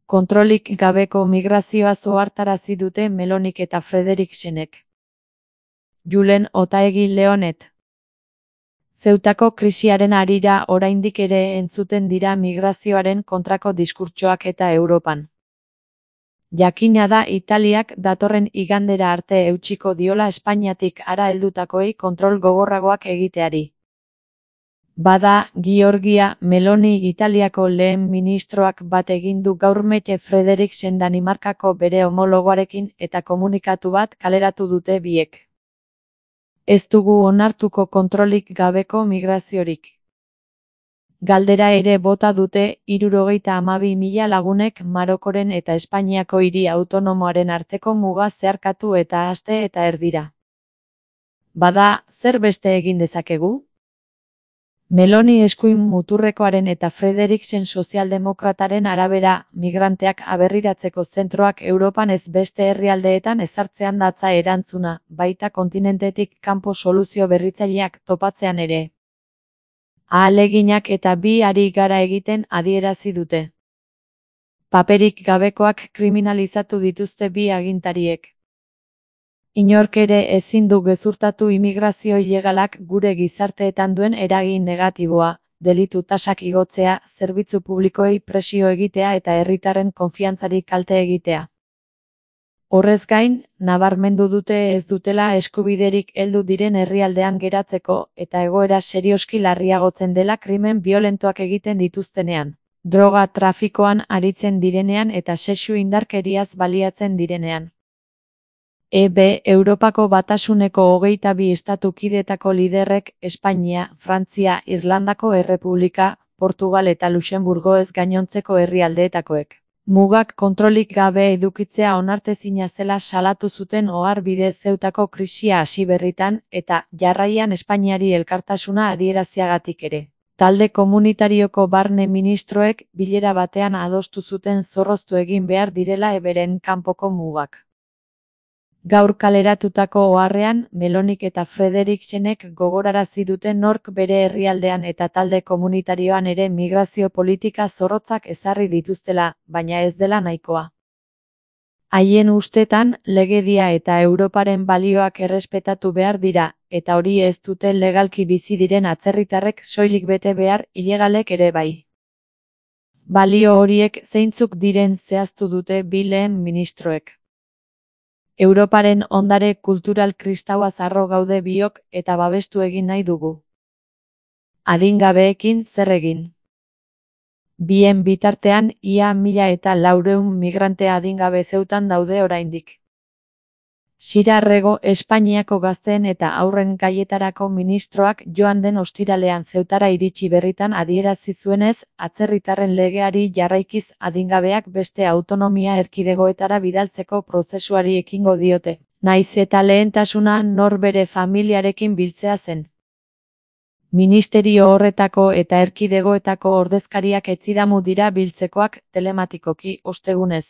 Kontrolik gabeko migrazioa ohartarazi dute Melonik eta Frederiksenek. Julen Otaegi Leonet. Zeutako krisiaren harira oraindik ere entzuten dira migrazioaren kontrako diskurtsoak eta Europan. Jakina da Italiak datorren igandera arte eutsiko diola Espainiatik hara heldutakoei kontrol gogorragoak egiteari. Bada, Giorgia Meloni Italiako lehen ministroak bat egin du gaur Mette Frederiksen Danimarkako bere homologoarekin eta komunikatu bat kaleratu dute biek. Ez dugu onartuko kontrolik gabeko migraziorik. Galdera ere bota dute 72.000 lagunek Marokoren eta Espainiako hiri autonomoaren arteko muga zeharkatu eta aste eta erdira. Bada, zer beste egin dezakegu? Meloni eskuin muturrekoaren eta Frederiksen sozialdemokrataren arabera, migranteak aberriratzeko zentroak Europan ez beste herrialdeetan ezartzean datza erantzuna, baita kontinentetik kanpo soluzio berritzaileak topatzean ere. Ahaleginak eta bi ari gara egiten adierazi dute. Paperik gabekoak kriminalizatu dituzte bi agintariek. Inork ere ezin du gezurtatu immigrazio ilegalak gure gizarteetan duen eragin negatiboa, delitu tasak igotzea, zerbitzu publikoei presio egitea eta herritarren konfiantzari kalte egitea. Horrez gain, nabarmendu dute ez dutela eskubiderik heldu diren herrialdean geratzeko eta egoera serioski larriagotzen dela krimen biolentoak egiten dituztenean, droga trafikoan aritzen direnean eta sexu indarkeriaz baliatzen direnean. Europako Batasuneko 22 estatu kidetako liderrek Espainia, Frantzia, Irlandako Errepublika, Portugal eta Luxemburgo ez gainontzeko herrialdeetakoek. Mugak kontrolik gabe edukitzea onartezina zela salatu zuten ohar bidez Zeutako krisia hasi berritan eta jarraian Espainiari elkartasuna adieraziagatik ere. Talde komunitarioko barne ministroek bilera batean adostu zuten zorroztu egin behar direla eberen kanpoko mugak. Gaur kaleratutako oharrean, Melonik eta Frederiksenek gogorarazi dute nork bere herrialdean eta talde komunitarioan ere migrazio politika zorrotzak ezarri dituztela, baina ez dela nahikoa. Haien ustetan, legedia eta Europaren balioak errespetatu behar dira, eta hori ez dute legalki bizi diren atzerritarrek soilik bete behar, ilegalek ere bai. Balio horiek zeintzuk diren zehaztu dute bi lehen ministroek. Europaren ondare kultural kristaua zarro gaude biok eta babestu egin nahi dugu. Adingabeekin zer egin? Bien bitartean, ia 1.400 migrante adingabe Zeutan daude oraindik. Sira Rego Espainiako gazteen eta haurren gaietarako ministroak joan den ostiralean Zeutara iritsi berritan adierazi zuenez, atzerritarren legeari jarraikiz adingabeak beste autonomia erkidegoetara bidaltzeko prozesuari ekingo diote, nahiz eta lehentasuna nor bere familiarekin biltzea zen. Ministerio horretako eta erkidegoetako ordezkariak etzidamu dira biltzekoak telematikoki ostegunez.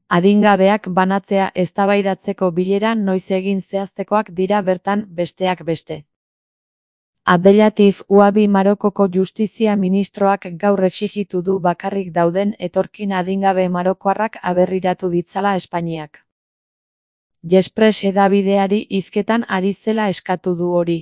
Adingabeak banatzea eztabaidatzeko bilera noiz egin zehaztekoak dira bertan besteak beste. Abdelatif Ouabi Marokoko justizia ministroak gaur exijitu du bakarrik dauden etorkin adingabe marokoarrak aberriratu ditzala Espainiak. Jespres hedabideari hizketan ari zela eskatu du hori.